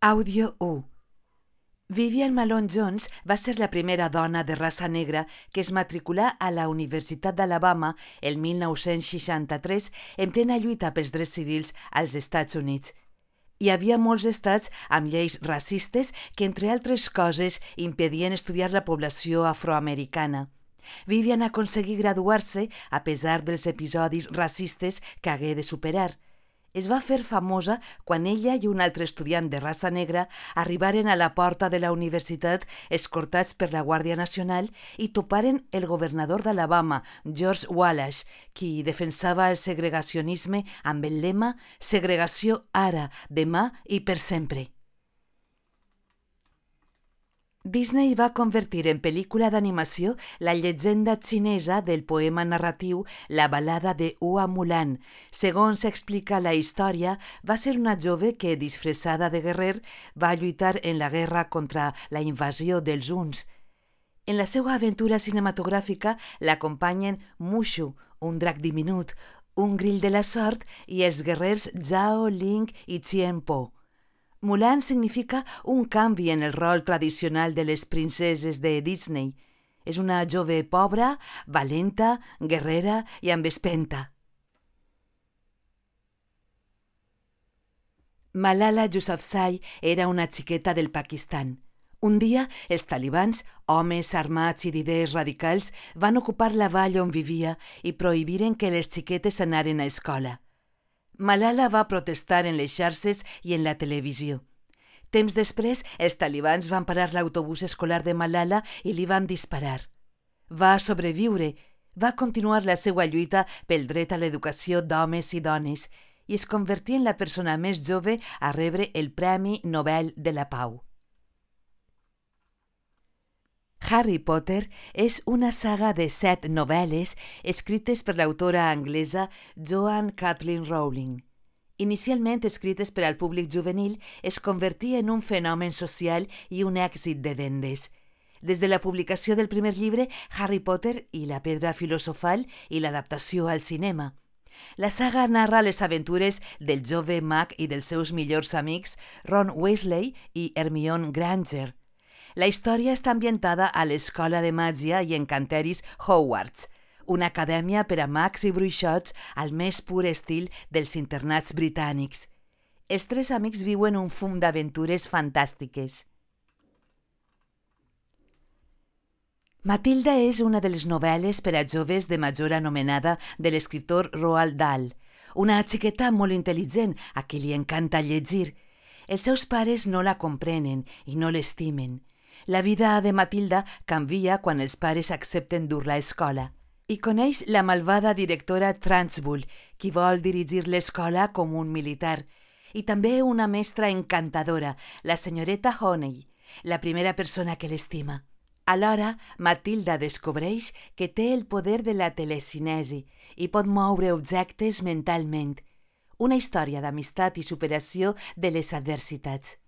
Àudio 1. Vivian Malone Jones va ser la primera dona de raça negra que es matriculà a la Universitat d'Alabama el 1963 en plena lluita pels drets civils als Estats Units. Hi havia molts estats amb lleis racistes que, entre altres coses, impedien estudiar la població afroamericana. Vivian aconseguí graduar-se a pesar dels episodis racistes que hagué de superar. Es va fer famosa quan ella i un altre estudiant de raça negra arribaren a la porta de la universitat escortats per la Guàrdia Nacional i toparen el governador d'Alabama, George Wallace, qui defensava el segregacionisme amb el lema «Segregació ara, demà i per sempre». Disney va convertir en pel·lícula d'animació la llegenda xinesa del poema narratiu La balada de Hua Mulan. Segons explica la història, va ser una jove que, disfressada de guerrer, va lluitar en la guerra contra la invasió dels Huns. En la seva aventura cinematogràfica l'acompanyen Mushu, un drac diminut, un grill de la sort i els guerrers Zhao, Ling i Chien Po. Mulan significa un canvi en el rol tradicional de les princeses de Disney. És una jove pobra, valenta, guerrera i amb espenta. Malala Yousafzai era una xiqueta del Pakistan. Un dia, els talibans, homes armats i d'idees radicals, van ocupar la vall on vivia i prohibiren que les xiquetes anaren a escola. Malala va protestar en les xarxes i en la televisió. Temps després, els talibans van parar l'autobús escolar de Malala i li van disparar. Va sobreviure, va continuar la seva lluita pel dret a l'educació d'homes i dones i es convertí en la persona més jove a rebre el Premi Nobel de la Pau. Harry Potter és una saga de 7 novel·les escrites per l'autora anglesa Joanne Kathleen Rowling. Inicialment escrites per al públic juvenil, es convertí en un fenomen social i un èxit de vendes. Des de la publicació del primer llibre, Harry Potter i la pedra filosofal i l'adaptació al cinema. La saga narra les aventures del jove mag i dels seus millors amics Ron Weasley i Hermione Granger. La història està ambientada a l'Escola de Màgia i Encanteris Hogwarts, una acadèmia per a mags i bruixots al més pur estil dels internats britànics. Els 3 amics viuen un fum d'aventures fantàstiques. Matilda és una de les novel·les per a joves de major anomenada de l'escriptor Roald Dahl, una xiqueta molt intel·ligent a qui li encanta llegir. Els seus pares no la comprenen i no l'estimen. La vida de Matilda canvia quan els pares accepten dur-la a escola. I coneix la malvada directora Trunchbull, qui vol dirigir l'escola com un militar, i també una mestra encantadora, la senyoreta Honey, la primera persona que l'estima. Alhora, Matilda descobreix que té el poder de la telecinesi i pot moure objectes mentalment. Una història d'amistat i superació de les adversitats.